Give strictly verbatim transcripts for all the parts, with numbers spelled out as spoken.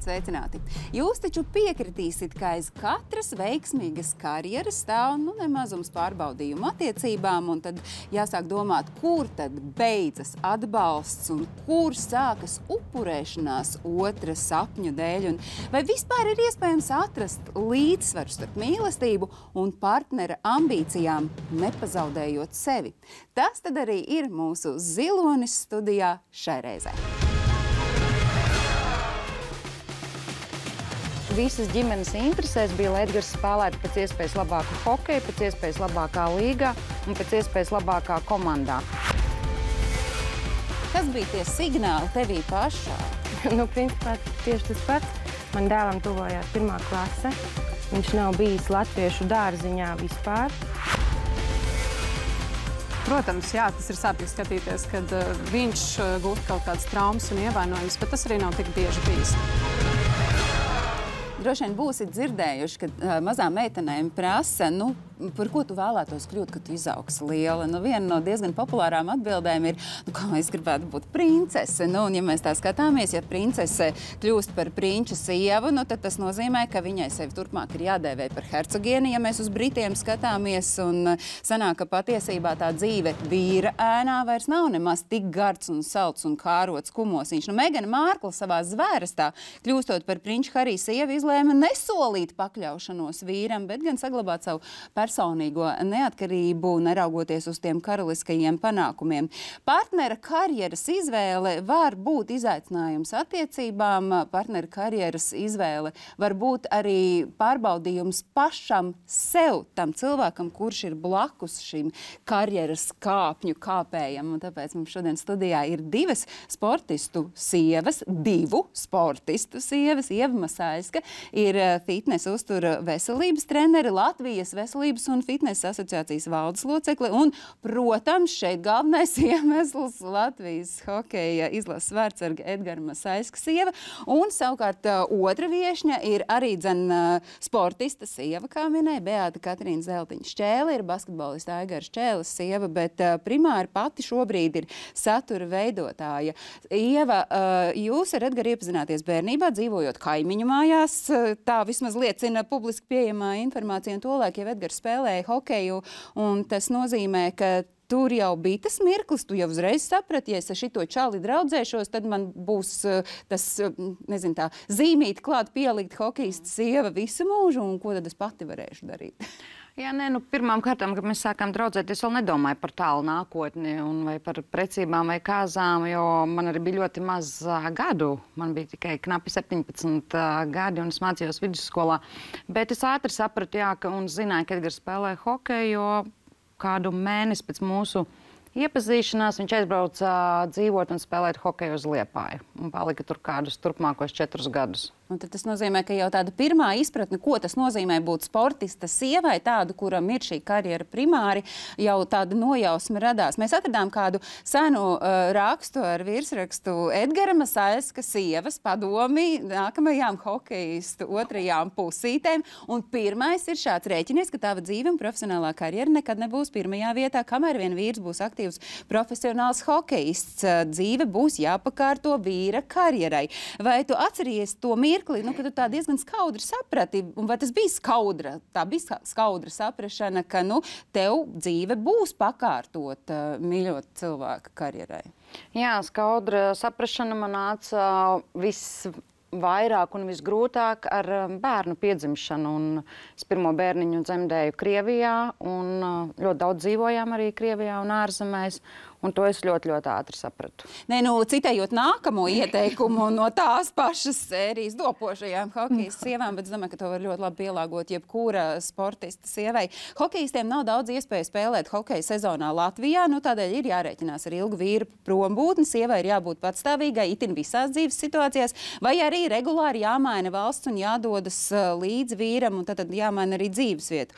Sveicināti! Jūs taču piekritīsit, ka aiz katras veiksmīgas karjeras stāv nu, nemazums pārbaudījumu attiecībām, un tad jāsāk domāt, kur tad beidzas atbalsts un kur sākas upurēšanās otra sapņu dēļ, un vai vispār ir iespējams atrast līdzsvaru starp mīlestību un partnera ambīcijām, nepazaudējot sevi. Tas tad arī ir mūsu zilonis studijā šai reizē. Visas ģimenes interesēs bija, lai Edgars spēlētu pēc iespējas labāku hokeju, pēc iespējas labākā līgā un pēc iespējas labākā komandā. Kas bija tie signāli tevī pašā? Nu, principā tieši tas pats. Man dēlam tuvojās pirmā klase. Viņš nav bijis latviešu dārziņā vispār. Protams, jā, tas ir sāpīgi skatīties, kad uh, viņš uh, gūst kaut kādas traumas un ievainojumus, bet tas arī nav tik bieži bijis. Droši vien būsit dzirdējuši, ka uh, mazām meitenēm prasa, nu, par ko tu vēlētos kļūt, kad tu izaugsi liela. Nu, viena no diezgan populārām atbildēm ir, nu, kā es gribētu būt princese. Nu, un ja mēs tā skatāmies, ja princese kļūst par prinča sievu, nu, tad tas nozīmē, ka viņai sevi turpmāk ir jādēvē par hercogieni, ja mēs uz Britiem skatāmies. Un sanāk, ka patiesībā tā dzīve vīra ēnā vairs nav nemaz tik gards un salds un kārots kumosiņš. Nu, Megana Mārkla savā zvērstā, kļūstot par prinča Harija sievu, izlēma nesolīt pakļaušanos vīram, bet gan saglabāt savu personīgo neatkarību, neraugoties uz tiem karaliskajiem panākumiem. Partnera karjeras izvēle var būt izaicinājums attiecībām, partnera karjeras izvēle var būt arī pārbaudījums pašam sev, tam cilvēkam, kurš ir blakus šim karjeras kāpņu kāpējam. Un tāpēc mums šodien studijā ir divas sportistu sievas, divu sportistu sievas. Ieva Masaiska ir fitnesa uztura veselības treneri, Latvijas veselības un fitnesa asociācijas valdes locekle un, protams, šeit galvenais iemesls Latvijas hokeja izlases vārtsarga Edgara Masaiska sieva. Un savukārt otra viešņa ir arī dzen sportista sieva, kā minēja, Beāta Katrīna Zeltiņa Šķēle, ir basketbolista Aigara Šķēles sieva, bet primāri pati šobrīd ir satura veidotāja. Ieva, jūs ar Edgaru iepazināties bērnībā, dzīvojot kaimiņu mājās, tā vismaz liecina publiski pieejamā informācija, un tolaik jau Edgars spēlēja hokeju, un tas nozīmē, ka tur jau bija tas mirklis, tu jau uzreiz saprati, ja es ar šito čali draudzēšos, tad man būs tas, nezinu, tā zīmīti klāt pielikt hokejista sieva visu mūžu, un ko tad es pati varēšu darīt? Jā, nē, nu, pirmām kārtām, kad mēs sākām draudzēties, vēl nedomāju par tālu nākotni un vai par precībām vai kāzām, jo man arī bija ļoti maz uh, gadu. Man bija tikai knapi septiņpadsmit uh, gadi un es mācījos vidusskolā. Bet es ātri sapratu, jā, ka, un zināju, ka Edgars spēlē hokeju, jo kādu mēnesi pēc mūsu iepazīšanās viņš aizbrauca uh, dzīvot un spēlēt hokeju uz Liepāju un palika tur kādus turpmākos četrus gadus. Un tad tas nozīmē, ka jau tāda pirmā izpratne, ko tas nozīmē būt sportista sievai, tādu, kuram ir šī karjera primāri, jau tāda nojausma radās. Mēs atradām kādu senu uh, rakstu ar virsrakstu Edgara Masaiska sievas padomi nākamajām hokejistu otrajām pusītēm. Un pirmais ir šāds rēķinies, ka tava dzīve un profesionālā karjera nekad nebūs pirmajā vietā, kamēr vien vīrs būs aktīvs profesionāls hokejists. Dzīve būs jāpakārto vīra karjerai. Vai tu atceries to mirkli? Nu, ka tu tā diezgan skaudri saprati, un vai tas bija skaudra, tā bija skaudra saprašana, ka, nu, tev dzīve būs pakārtot uh, mīļot cilvēka karjerai? Jā, skaudra saprašana man nāca visvairāk un visgrūtāk ar bērnu piedzimšanu. Un es pirmo bērniņu dzemdēju Krievijā, un ļoti daudz dzīvojām arī Krievijā un ārzemēs. Un to es ļoti, ļoti ātri sapratu. Nē, nu, citējot nākamo ieteikumu no tās pašas sērijas dopošajām hokejas sievām, bet es domāju, ka to var ļoti labi pielāgot jebkura sportista sievai. Hokejistiem nav daudz iespēju spēlēt hokeja sezonā Latvijā, nu tādēļ ir jārēķinās ar ilgu vīru prombūtni, sievai ir jābūt patstāvīgai, itin visās dzīves situācijās, vai arī regulāri jāmaina valsts un jādodas līdz vīram, un tad jāmaina arī dzīvesvietu.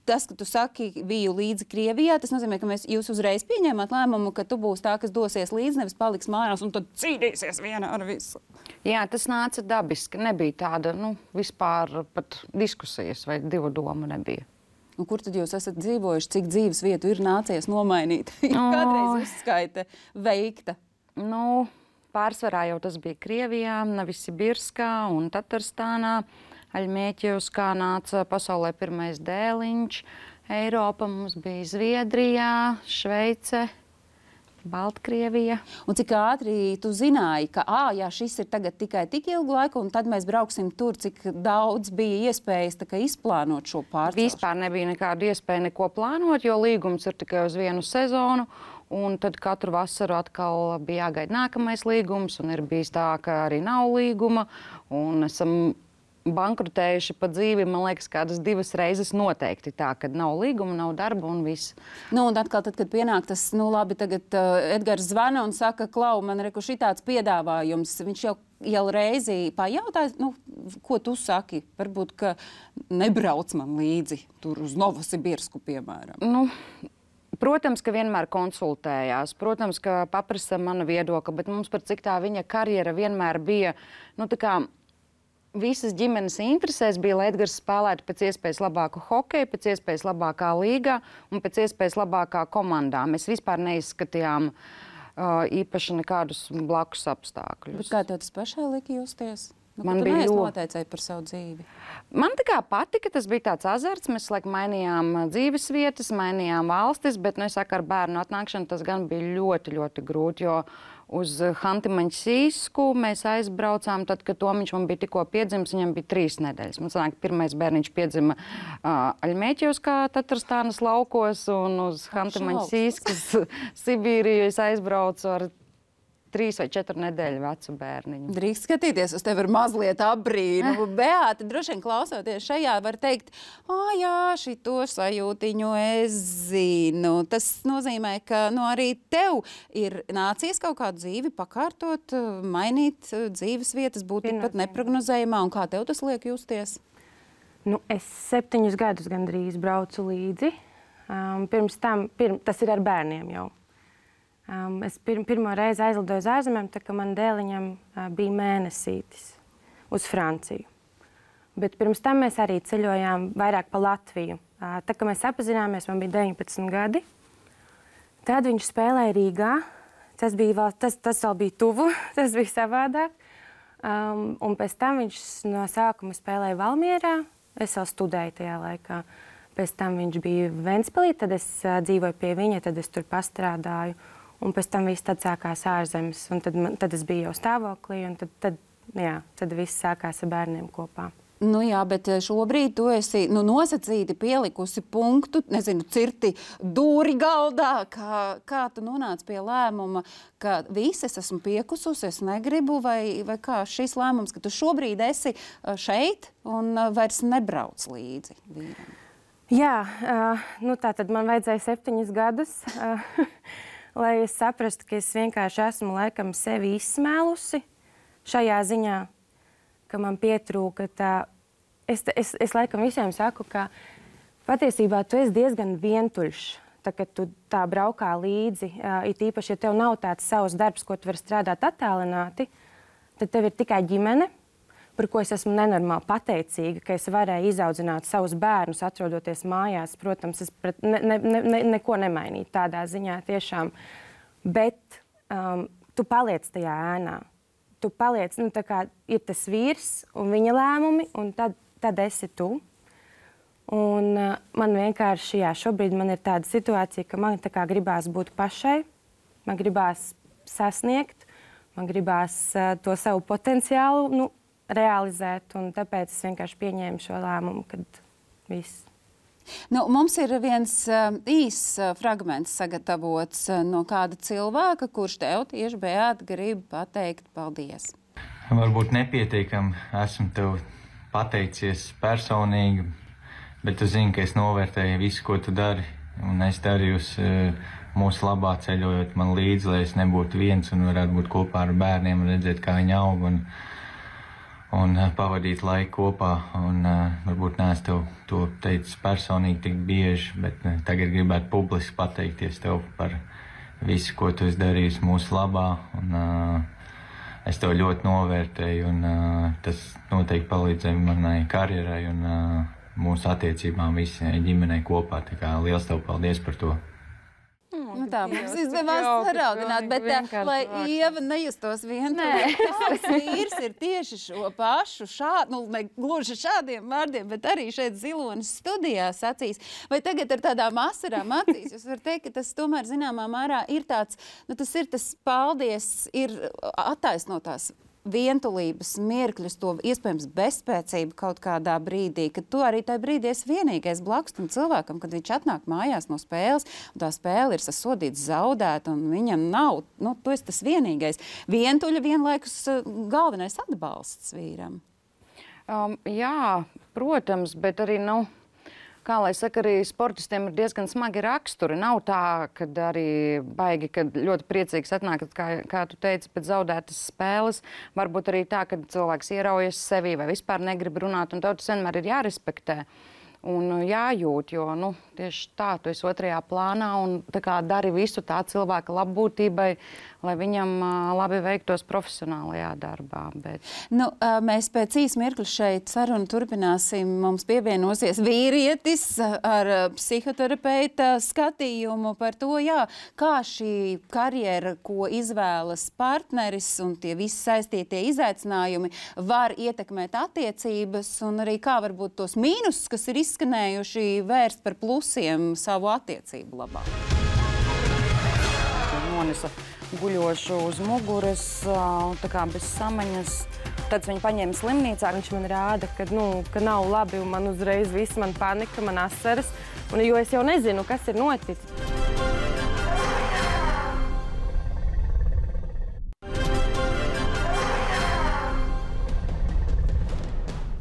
Tas, ka tu saki, biju līdzi Krievijā, tas nozīmē, ka mēs, jūs uzreiz pieņēmāt lēmumu, ka tu būsi tā, kas dosies līdzi, nevis paliks mājās un tad cīnīsies viena ar visu. Jā, tas nāca dabiski. Nebija tāda, nu, vispār pat diskusijas vai divu domu nebija. Un kur tad jūs esat dzīvojuši, cik dzīves vietu ir nācies nomainīt? Kādreiz uzskaita veikta? Nu, pārsvarā jau tas bija Krievijā, Novosibirskā un Tatarstānā. Aļmēķevskā nāca pasaulē pirmais dēliņš. Eiropa mums bija Zviedrijā, Šveice, Baltkrievija. Un cik ātri tu zināji, ka ā, jā, šis ir tagad tikai tik ilgu laiku, un tad mēs brauksim tur, cik daudz bija iespējas tā kā izplānot šo pārcelšanu? Vispār nebija nekāda iespēja neko plānot, jo līgums ir tikai uz vienu sezonu. Un tad katru vasaru atkal bija jāgaida nākamais līgums, un ir bijis tā, ka arī nav līguma. Un esam bankrutējuši pa dzīvi, man liekas, kādas divas reizes noteikti tā, kad nav līguma, nav darba un viss. Nu, un atkal, tad, kad pienāk tas, nu labi, tagad uh, Edgars zvana un saka, Klau, man reku šitāds piedāvājums, viņš jau, jau reizi pajautāja, nu, ko tu saki? Varbūt, ka nebrauc man līdzi tur uz Novosibirsku, piemēram. Nu, protams, ka vienmēr konsultējās, protams, ka paprasa mana viedokļa, bet mums par cik tā viņa karjera vienmēr bija, nu, tā kā visas ģimenes interesēs bija, lai Edgars spēlētu pēc iespējas labāku hokeju, pēc iespējas labākā līgā un pēc iespējas labākā komandā. Mēs vispār neizskatījām uh, īpaši nekādus blakus apstākļus. Bet kā tev tas pašai lika justies? Nu, Man tu bija neesi ļoti noteicēji par savu dzīvi. Man tā kā patika, tas bija tāds azarts. Mēs laik mainījām dzīves vietas, mainījām valstis, bet, nu, es saku, ar bērnu atnākšanu tas gan bija ļoti, ļoti grūti, jo uz Hanti-Maņsīsku mēs aizbraucām, tad, kad Tomiņš man bija tikko piedzimis, viņam bija trīs nedēļas. Man sanāk, pirmais bērniņš piedzima uh, Aļmēķevskā, Tatarstānas laukos, un uz Hanti-Maņsīskas Sibīriju es aizbraucu ar trīs vai četru nedēļu vecu bērniņu. Drīkst skatīties uz tevi ar mazliet apbrīnu. Beāta, droši vien klausoties šajā, var teikt, ā, jā, šito sajūtiņu es zinu. Tas nozīmē, ka nu, arī tev ir nācies kaut kādu dzīvi pakārtot, mainīt dzīves vietas, būt tikpat neprognozējumā. Un kā tev tas liek justies? Nu, es septiņus gadus gandrīz braucu līdzi. Um, pirms tam, pirm, tas ir ar bērniem jau. Um, es pir, pirmo reizi aizlidoju uz ārzemēm, tā kā man dēliņam uh, bija mēnesītis uz Franciju. Bet pirms tam mēs arī ceļojām vairāk pa Latviju. Uh, tā kā mēs apazināmies, man bija deviņpadsmit gadi. Tad viņš spēlēja Rīgā. Tas, bija vēl, tas, tas vēl bija tuvu, tas bija savādāk. Um, un pēc tam viņš no sākuma spēlēja Valmierā. Es vēl studēju tajā laikā. Pēc tam viņš bija Ventspilī, tad es uh, dzīvoju pie viņa, tad es tur pastrādāju. Un pēc tam viss tad sākās ārzemes, un tad, man, tad es biju jau stāvoklī, un tad, tad, jā, tad viss sākās ar bērniem kopā. Nu jā, bet šobrīd tu esi nu, nosacīti pielikusi punktu, nezinu, cirti dūri galdā, kā, kā tu nonāc pie lēmuma, ka visi es esmu piekususi, es negribu, vai, vai kā šis lēmums, ka tu šobrīd esi šeit un vairs nebrauc līdzi vīram? Jā, uh, nu tā tad man vajadzēja septiņus gadus. Uh, lai es saprastu, ka es vienkārši esmu laikam sevi izsmēlusi šajā ziņā, ka man pietrūka tā... Es, es, es laikam visiem saku, ka patiesībā tu esi diezgan vientuļš, tā, kad tu tā braukā līdzi. It īpaši, ja tev nav tāds savs darbs, ko tu vari strādāt attālināti, tad tev ir tikai ģimene, par ko es esmu nenormāli pateicīga, ka es varēju izaudzināt savus bērnus, atrodoties mājās. Protams, es pret, ne, ne, ne, neko nemainīju tādā ziņā tiešām. Bet um, tu paliec tajā ēnā. Tu paliec, nu tā kā ir tas vīrs un viņa lēmumi, un tad, tad esi tu. Un uh, man vienkārši, jā, šobrīd man ir tāda situācija, ka man tā kā gribās būt pašai, man gribās sasniegt, man gribās uh, to savu potenciālu, nu, realizēt, un tāpēc es vienkārši pieņēmu šo lēmumu, kad viss. Nu, mums ir viens uh, īss uh, fragments sagatavots uh, no kāda cilvēka, kurš tev tieši Beāta grib pateikt paldies. Varbūt nepietiekami esmu tev pateicies personīgi, bet tu zini, ka es novērtēju visu, ko tu dari, un es darījusi uh, mūsu labā ceļojot man līdzi, lai es nebūtu viens un varētu būt kopā ar bērniem un redzēt, kā viņi aug un un uh, pavadīt laiku kopā, un uh, varbūt neesmu tev to teicis personīgi tik bieži, bet uh, tagad gribētu publiski pateikties tev par visu, ko tu esi darījis mūsu labā, un uh, es tev ļoti novērtēju, un uh, tas noteikti palīdzēja manai karjerai un uh, mūsu attiecībām visai ģimenei kopā, tā kā liels tev paldies par to. Nu, tā mums izdevās saraugināt, bet tā, lai Ieva nejustos vientuļa, tavs vīrs ir tieši šo pašu šādu, nu, ne gluži šādiem vārdiem, bet arī šeit Zilonas studijā sacīs. Vai tagad ar tādām asarām acīs jūs var teikt, ka tas tomēr zināmā mērā ir tāds, nu, tas ir tas paldies, ir attaisnotās vientulības mirkļus, to iespējams bezspēcību kaut kādā brīdī, kad tu arī tajā brīdī esi vienīgais blakus tam cilvēkam, kad viņš atnāk mājās no spēles, un tā spēle ir sasodīts zaudēt, un viņam nav, nu, tu esi tas vienīgais. Vientuļa vienlaikus galvenais atbalsts vīram. Um, jā, protams, bet arī, nu, kā lai saka, arī sportistiem ir diezgan smagi raksturi. Nav tā, kad arī baigi, kad ļoti priecīgs atnāk, kā, kā tu teici, pēc zaudētas spēles. Varbūt arī tā, kad cilvēks ieraujas sevī vai vispār negrib runāt, un tev tas vienmēr ir jārespektē un jājūt, jo, nu, tieši tā, tu esi otrajā plānā un tā kā dari visu tā cilvēka labbūtībai, lai viņam uh, labi veiktos profesionālajā darbā. Bet... Nu, uh, mēs pēc īs mirkļa šeit sarunu turpināsim. Mums pievienosies vīrietis ar uh, psihoterapeita skatījumu par to, jā, kā šī karjera, ko izvēlas partneris un tie visi saistītie izaicinājumi var ietekmēt attiecības un arī kā varbūt tos mīnusus, kas ir izskanējuši, vērst par plusiem savu attiecību labā. Nonesa guļošu uz muguras, tā kā bez samaņas. Tad viņu paņēma slimnīcā. Viņš man rāda, ka, nu, ka nav labi, un man uzreiz viss, man panika, man asaras, un, jo es jau nezinu, kas ir noticis.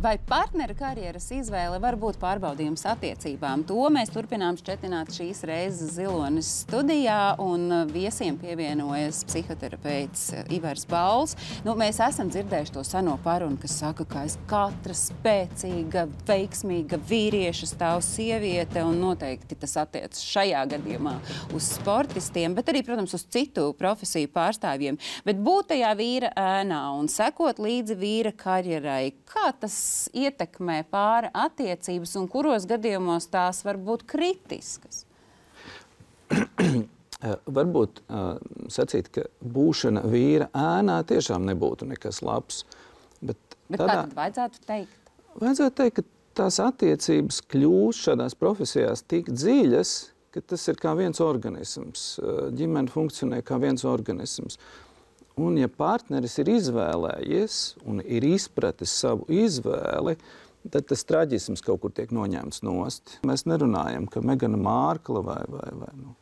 Vai partnera karjeras izvēle var būt pārbaudījums attiecībām? To mēs turpinām šķetināt šīs reizes Zilonas studijā, un viesiem pievienojas psihoterapeits Ivars Bauls. Nu, mēs esam dzirdējuši to seno parunu, kas saka, ka aiz katra spēcīga, veiksmīga vīrieša stāv sieviete, un noteikti tas attiecas šajā gadījumā uz sportistiem, bet arī, protams, uz citu profesiju pārstāvjiem. Bet būt tajā vīra ēnā un sekot līdzi vīra karjerai, kā tas ietekmē pāra attiecības un kuros gadījumos tās var būt kritiskas? Varbūt uh, sacīt, ka būšana vīra ēnā tiešām nebūtu nekas labs. Bet, bet tādā, kā tad vajadzētu teikt? Vajadzētu teikt, ka tās attiecības kļūst šādās profesijās tik dziļas, ka tas ir kā viens organisms. Ģimene funkcionē kā viens organisms. Un, ja partneris ir izvēlējies un ir izpratis savu izvēli, tad tas traģisms kaut kur tiek noņemts nost. Mēs nerunājam, ka Megana Mārkla vai, vai, vai nu,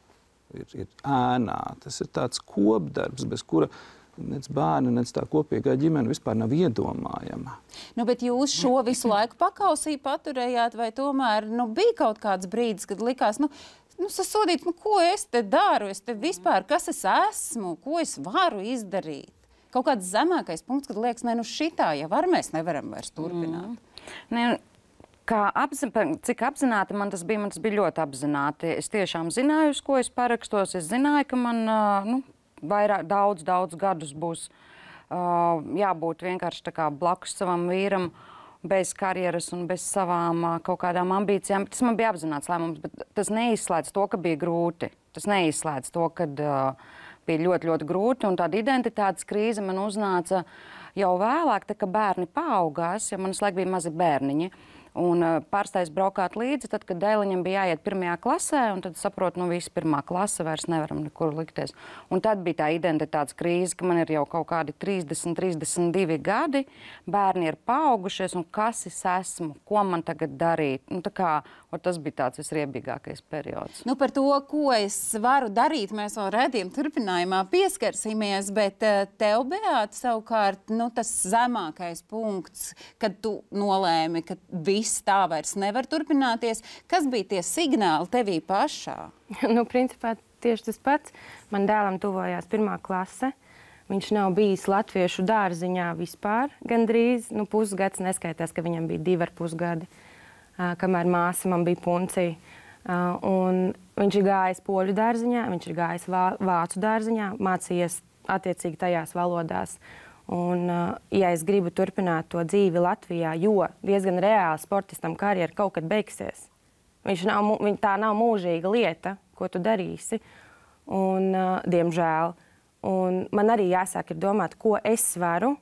ir, ir ēnā. Tas ir tāds kopdarbs, bez kura nec bērni, nec tā kopīgā ģimene vispār nav iedomājama. Nu, bet jūs šo visu laiku pakausī paturējāt, vai tomēr nu, bija kaut kāds brīdis, kad likās, nu, Nu, sasodīt, nu, ko es te daru, es te vispār, kas es esmu, ko es varu izdarīt? Kaut kāds zemākais punkts, kad liekas, ne, nu šitā jau var, mēs nevaram vairs turpināt. Mm. Ne, kā apzin, cik apzināti man tas bija, man tas bija ļoti apzināti. Es tiešām zināju, uz ko es parakstos, es zināju, ka man nu, vairāk, daudz, daudz gadus būs uh, jābūt vienkārši tā kā blakus savam vīram, bez karjeras un bez savām uh, kaut kādām ambīcijām. Tas man bija apzināts lēmums, bet tas neizslēdz to, ka bija grūti. Tas neizslēdz to, ka uh, bija ļoti, ļoti grūti, un tāda identitātes krīze man uznāca jau vēlāk, tā, ka bērni paaugās, ja man visu laiku bija mazi bērniņi. Un uh, pārstājas braukāt līdzi, tad, kad Dēliņam bija jāiet pirmajā klasē, un tad saprotu, nu visi pirmā klase vairs nevaram nekur likties. Un tad bija tā identitātes krīze, ka man ir jau kaut kādi trīsdesmit, trīsdesmit divi gadi, bērni ir paaugušies, un kas es esmu, ko man tagad darīt. Nu, tā kā, tas bija tāds visriebīgākais periods. Nu, par to, ko es varu darīt, mēs vēl redzījuma turpinājumā pieskarsimies, bet uh, tev, Beāta, savukārt, nu, tas zemākais punkts, kad tu nolēmi, ka viss tā vairs nevar turpināties. Kas bija tie signāli tevī pašā? Nu, principā tieši tas pats. Man dēlam tuvojās pirmā klase. Viņš nav bijis latviešu dārziņā vispār gandrīz. Nu, pusgads neskaitās, ka viņam bija divi ar pusgadi, uh, kamēr māsa man bija puncija. Uh, un viņš ir gājis poļu dārziņā, viņš ir gājis vā, vācu dārziņā, mācījies attiecīgi tajās valodās. Un, ja es gribu turpināt to dzīvi Latvijā, jo diezgan reāli sportistam karjera kaut kad beigsies, viņš nav, tā nav mūžīga lieta, ko tu darīsi. un, uh, diemžēl. Un man arī jāsāk ir domāt, ko es varu,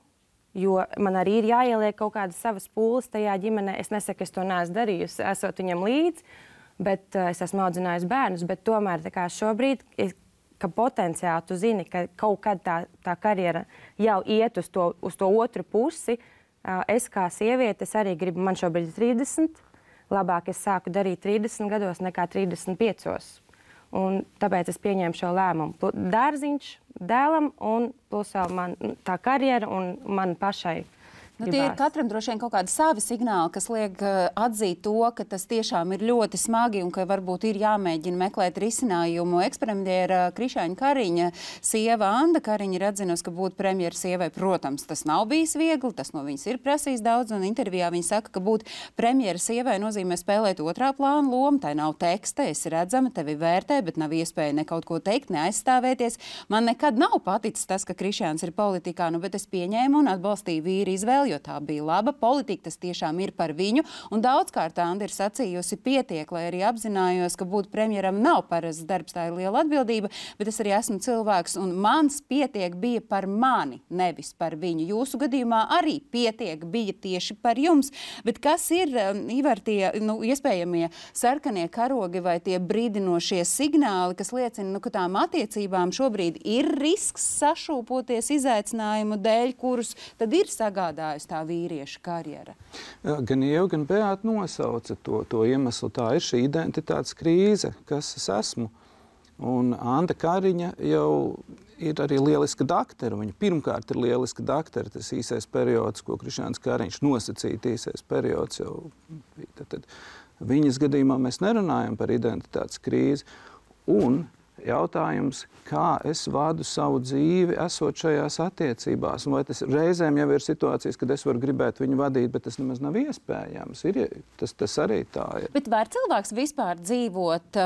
jo man arī ir jāieliek kaut kādas savas pūles tajā ģimenē. Es nesaku, es to neesmu darījusi, esot viņam līdzi, bet uh, es esmu audzinājusi bērnus. Bet tomēr tā kā šobrīd, es, ka potenciāli tu zini, ka kaut kad tā, tā karjera jau iet uz to, uz to otru pusi, uh, es kā sieviete, es arī gribu, man šobrīd ir trīsdesmit, labāk es sāku darīt trīsdesmit gados nekā trīsdesmit piecos. Un tāpēc es pieņēmu šo lēmumu. Dārziņš dēlam un plus vēl man tā karjera un man pašai. Nu, tie ir katram droši vien kaut kādi savi signāli, kas liek uh, atzīt to, ka tas tiešām ir ļoti smagi un ka varbūt ir jāmēģina meklēt risinājumu. Ekspremjera Krišāņa Kariņa sieva Anda Kariņa ir atzinusi, ka būt premjera sievai, protams, tas nav bijis viegli, tas no viņas ir prasījis daudz, un intervijā viņa saka, ka būt premjera sievai nozīmē spēlēt otrā plāna lomu, tai nav teksta, esi redzama, tevi vērtē, bet nav iespēja ne kaut ko teikt, ne aizstāvēties. Man nekad nav paticis tas, ka Krišāns ir politikā, nu, bet es pieņēmu un atbalstīju vīru izvēli, jo tā bija laba politika, tas tiešām ir par viņu. Un daudzkārt Anda ir sacījusi pietiek, lai arī apzinājos, ka būt premjeram nav parasts darbs, tā ir liela atbildība, bet es arī esmu cilvēks, un mans pietiek bija par mani, nevis par viņu. Jūsu gadījumā arī pietiek bija tieši par jums. Bet kas ir, Ivar, tie nu, iespējamie sarkanie karogi vai tie brīdinošie signāli, kas liecina, nu, ka tām attiecībām šobrīd ir risks sašūpoties izaicinājumu dēļ, kurus tad ir sagādājusi tā vīrieša karjera? Gan Ieva, gan Beāta nosauca to, to iemeslu. Tā ir šī identitātes krīze, kas es esmu. Un Anda Kariņa jau ir arī lieliska daktera. Viņa pirmkārt ir lieliska daktera. Tas īsais periods, ko Krišāns Kariņš nosacīja, īsais periods jau. Tad, tad viņas gadījumā mēs nerunājam par identitātes krīzi. Un jautājums, kā es vadu savu dzīvi, esot šajās attiecībās. Un vai tas reizēm jau ir situācijas, kad es varu gribēt viņu vadīt, bet tas nemaz nav iespējams. Ir, tas, tas arī tā ir. Bet var cilvēks vispār dzīvot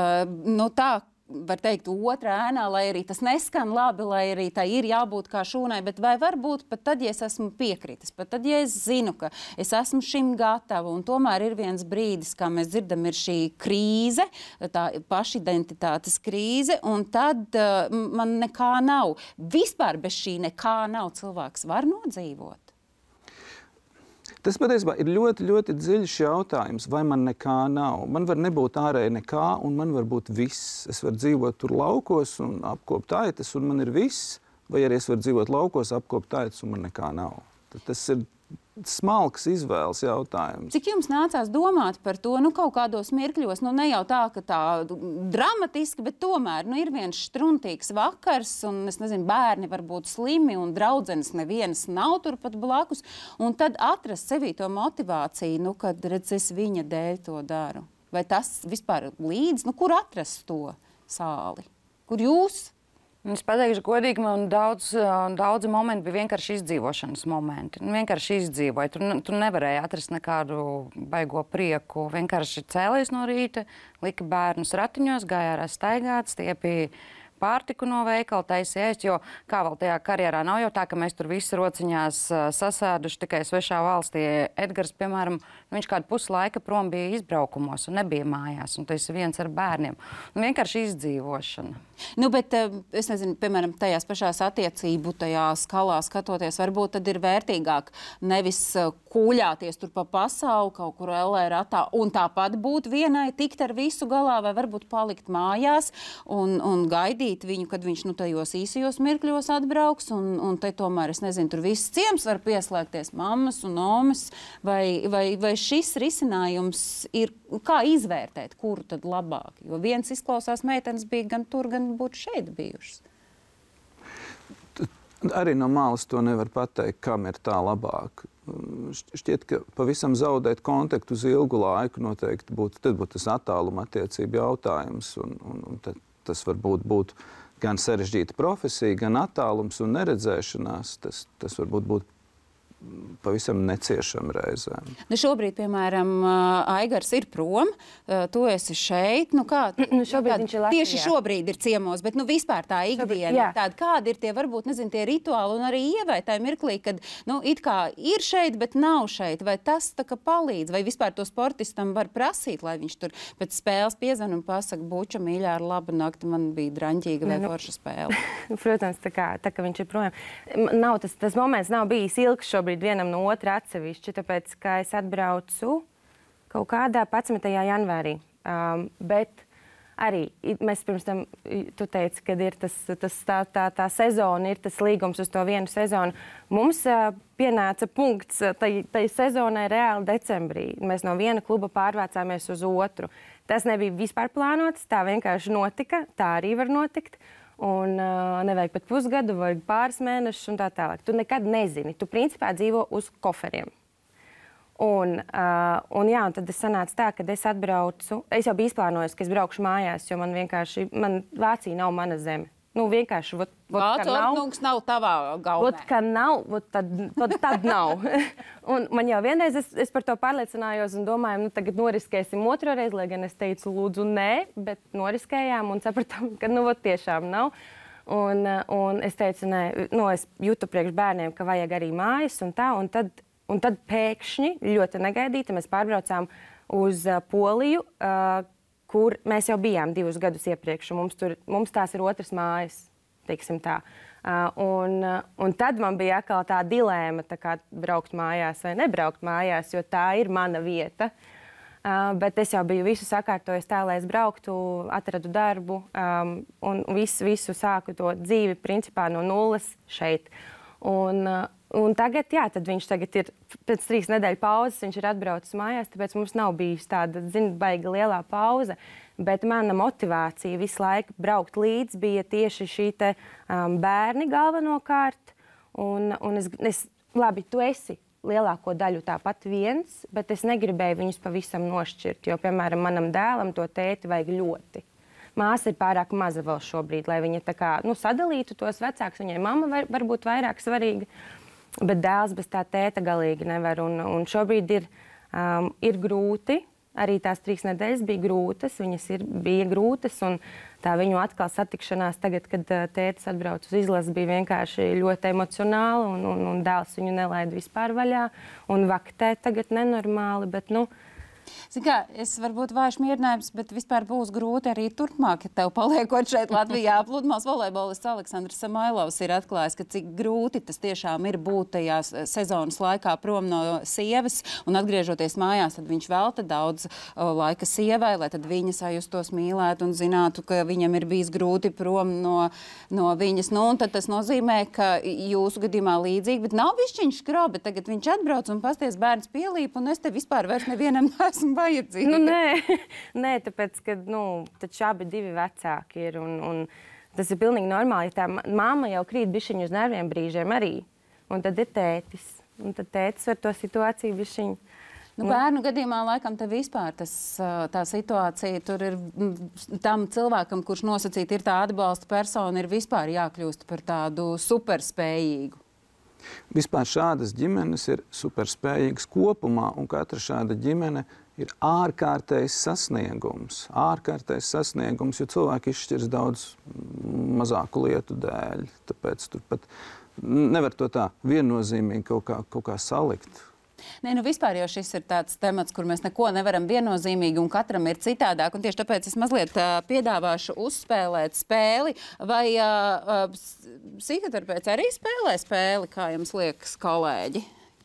nu, tā, var teikt, otrā ēnā, lai arī tas neskan labi, lai arī tā ir jābūt kā šūnai, bet vai varbūt pat tad, ja es esmu piekritis, pat tad, ja es zinu, ka es esmu šim gatava, un tomēr ir viens brīdis, kā mēs dzirdam, ir šī krīze, tā pašidentitātes krīze, un tad uh, man nekā nav. Vispār bez šī nekā nav cilvēks var nodzīvot. Tas patiesībā ir ļoti, ļoti dziļš jautājums, vai man nekā nav. Man var nebūt ārēji nekā, un man var būt viss. Es varu dzīvot tur laukos un apkopt aitas, un man ir viss, vai arī es varu dzīvot laukos, apkopt aitas, un man nekā nav. Tad tas ir smalks izvēles jautājums. Cik jums nācās domāt par to, nu, kaut kādos mirkļos, nu, ne jau tā, ka tā dramatiski, bet tomēr, nu, ir viens štruntīgs vakars, un, es nezinu, bērni var būt slimi, un draudzenes nevienas nav turpat blakus, un tad atrast sevī to motivāciju, nu, kad, redz, es viņa dēļ to daru. Vai tas vispār līdz, nu, kur atrast to sāli? Kur jūs? Es pateikšu godīgi, man daudz, daudzi momenti bija vienkārši izdzīvošanas momenti. Vienkārši izdzīvoju. Tur, tur nevarēja atrast nekādu baigo prieku. Vienkārši cēlies no rīta, lika bērnus ratiņos, gāja ārā staigāt, stiepīja pārtiku no veikala, taisīja ēst, jo kā vēl tajā karjerā nav jau tā, ka mēs tur visi rociņās sasēduši tikai svešā valstī. Edgars, piemēram, viņš kādu pusi laika prom bija izbraukumos un nebija mājās, un tas ir viens ar bērniem. Un vienkārši izdzīvošana. Nu, bet es nezinu, piemēram, tajās pašās attiecību, tajā skalā skatoties, varbūt tad ir vērtīgāk nevis kūļāties tur pa pasauli, kaut kur ellē ratā, un tāpat būt vienai, tikt ar visu galā, vai varbūt palikt mājās un, un gaidīt viņu, kad viņš nu tajos īsajos mirkļos atbrauks, un, un te tomēr, es nezinu, tur viss ciems var pieslēgties, mammas un omas, vai, vai, vai šis risinājums ir, kā izvērtēt, kuru tad labāk? Jo viens izklausās, meitenes bija gan tur, gan būtu šeit bijušas. Arī no malas to nevar pateikt, kam ir tā labāk. Šķiet, ka pavisam zaudēt kontaktu uz ilgu laiku noteikti būtu, tad būtu tas attāluma attiecību jautājums, un, un, un tad, tas varbūt būtu gan sarežģīta profesija, gan attālums un neredzēšanās. Tas, tas varbūt būtu pavisam neciešam reizēm. Nu šobrīd, piemēram, Aigars ir prom, tu esi šeit. Nu kā, Nu, šobrīd viņš ir Latvijā. Tieši šobrīd ir ciemos, bet nu vispār tā ikdiena jā. ir tāda, kādi ir tie, varbūt, nezinu, tie rituāli un arī Ievai tajā mirklī, kad, nu, it kā ir šeit, bet nav šeit. Vai tas tā kā palīdz? Vai vispār to sportistam var prasīt, lai viņš tur pēc spēles piezvan un pasaka, buča, mīļā, ar labu nakti, man bija draņķīga vai Nu, forša spēle? Protams, tā kā, tā kā viņš ir projām. Nav, tas, tas moments nav bijis ilgs šobrīd vienam no otra atsevišķi, tāpēc, ka es atbraucu kaut kādā padsmitajā janvārī. Um, bet arī mēs pirms tam, tu teici, kad ir tas, tas tā, tā, tā sezona, ir tas līgums uz to vienu sezonu. Mums uh, pienāca punkts tai, tai sezonai reāli decembrī. Mēs no viena kluba pārvācāmies uz otru. Tas nebija vispār plānots, tā vienkārši notika, tā arī var notikt. Un uh, nevajag pat pusgadu, vajag pāris mēnešus un tā tālāk. Tu nekad nezini. Tu principā dzīvo uz koferiem. Un, uh, un, jā, un tad es sanāca tā, ka es atbraucu. Es jau biju izplānojusi, ka es braukšu mājās, jo man vienkārši, man Vācija nav mana zeme. Nu, vienkārši, vot, vot, Vācu ornungs nav tavā gaumē. Vot, ka nav, vot tad, tad, tad nav. Un man jau vienreiz es, es par to pārliecinājos un domāju, nu tagad noriskēsim otro reizi, lai gan es teicu lūdzu nē, bet noriskējām un sapratām, ka nu vot tiešām nav. Un, un es teicu, nē, nu es jūtu priekš bērniem, ka vajag arī mājas un tā, un tad, un tad pēkšņi, ļoti negaidīti, mēs pārbraucām uz uh, Poliju, uh, kur mēs jau bijām divus gadus iepriekš, un mums, tur, mums tās ir otras mājas, teiksim tā. Uh, un, uh, un tad man bija atkal tā dilēma, tā kā braukt mājās vai nebraukt mājās, jo tā ir mana vieta. Uh, bet es jau biju visu sakārtojis tā, lai es brauktu, atradu darbu um, un visu, visu sāku to dzīvi principā no nulles šeit. Un, uh, un tagad, jā, tad viņš tagad ir pēc trīs nedēļu pauzes, viņš ir atbraucis mājās, tāpēc mums nav bijusi tāda, zin, baiga lielā pauze. Bet mana motivācija visu laiku braukt līdz bija tieši šī te um, bērni galvenokārt. Un, un es, es, labi, tu esi lielāko daļu tāpat viens, bet es negribēju viņus pavisam nošķirt, jo, piemēram, manam dēlam to tēti vajag ļoti. Māsa ir pārāk maza vēl šobrīd, lai viņa tā kā, nu, sadalītu tos vecākus. Viņai mamma var, varbūt vairāk svarīga, bet dēls bez tā tēta galīgi nevar. Un, un šobrīd ir, um, ir grūti, arī tās trīs nedēļas bija grūtas, viņas ir, bija grūtas, un tā viņu atkal satikšanās tagad, kad uh, tētis atbrauc uz izlasi, bija vienkārši ļoti emocionāla, un, un, un dēls viņu nelaida vispār vaļā, un vaktē tagad nenormāli, bet, nu, Zin kā, es varbūt vairs mierinājums, bet vispār būs grūti arī turpmāk, ja tev paliekot šeit Latvijā. Pludmales volejbolists Aleksandrs Samailovs ir atklājis, ka cik grūti tas tiešām ir būt tajās sezonas laikā prom no sievas un atgriežoties mājās, tad viņš velta daudz uh, laika sievai, lai tad viņa sajustos mīlēt un zinātu, ka viņam ir bijis grūti prom no, no viņas. Nu, un tad tas nozīmē, ka jūsu gadījumā līdzīgi, bet nav višķiņš skrobi, tagad viņš atbrauc un pasties bērns pielīp un es te vispār vairs nevienam esmu vajadzīga. Nu, nē, nē, tāpēc, ka, nu, taču abi divi vecāki ir, un, un tas ir pilnīgi normāli, ja tā mamma jau krīt bišķiņu uz nerviem brīžiem arī, un tad ir tētis, un tad tētis var to situāciju bišķiņu. Nu, bērnu gadījumā laikam te vispār tas, tā situācija tur ir tam cilvēkam, kurš nosacīt ir tā atbalsta persona, ir vispār jākļūst par tādu superspējīgu. Vispār šādas ģimenes ir superspējīgas kopumā, un katra šāda ģimene ir ārkārtējs sasniegums. Ārkārtējs sasniegums, jo cilvēki izšķirs daudz mazāku lietu dēļ. Tāpēc tur pat nevar to tā viennozīmīgi kaut kā, kaut kā salikt. Nē, nu vispār jau šis ir tāds temats, kur mēs neko nevaram viennozīmīgi un katram ir citādāk. Un tieši tāpēc es mazliet uh, piedāvāšu uzspēlēt spēli. Vai uh, uh, psihoterapeits arī spēlē spēli, kā jums liekas, kolēģi?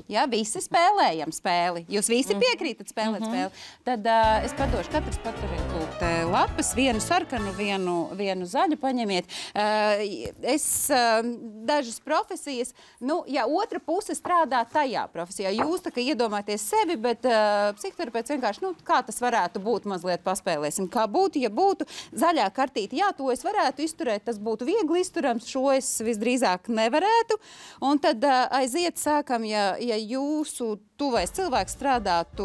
Ja, visi spēlējam spēli. Jūs visi piekrītat spēlēt mm-hmm. spēli. Tad uh, es padošu, katrs paturiet lūgt lapas, vienu sarkanu, vienu, vienu zaļu paņemiet. Uh, es uh, dažas profesijas, nu, ja otra puse strādā tajā profesijā, jūs tā kā iedomāties sevi, bet uh, psihoterapeits vienkārši, nu, kā tas varētu būt, mazliet paspēlēsim. Kā būtu, ja būtu zaļā kartīte, jā, to es varētu izturēt, tas būtu viegli izturams, šo es visdrīzāk nevarētu. Un tad uh, aiziet sākam, ja, ja jūsu tuvais cilvēks strādātu,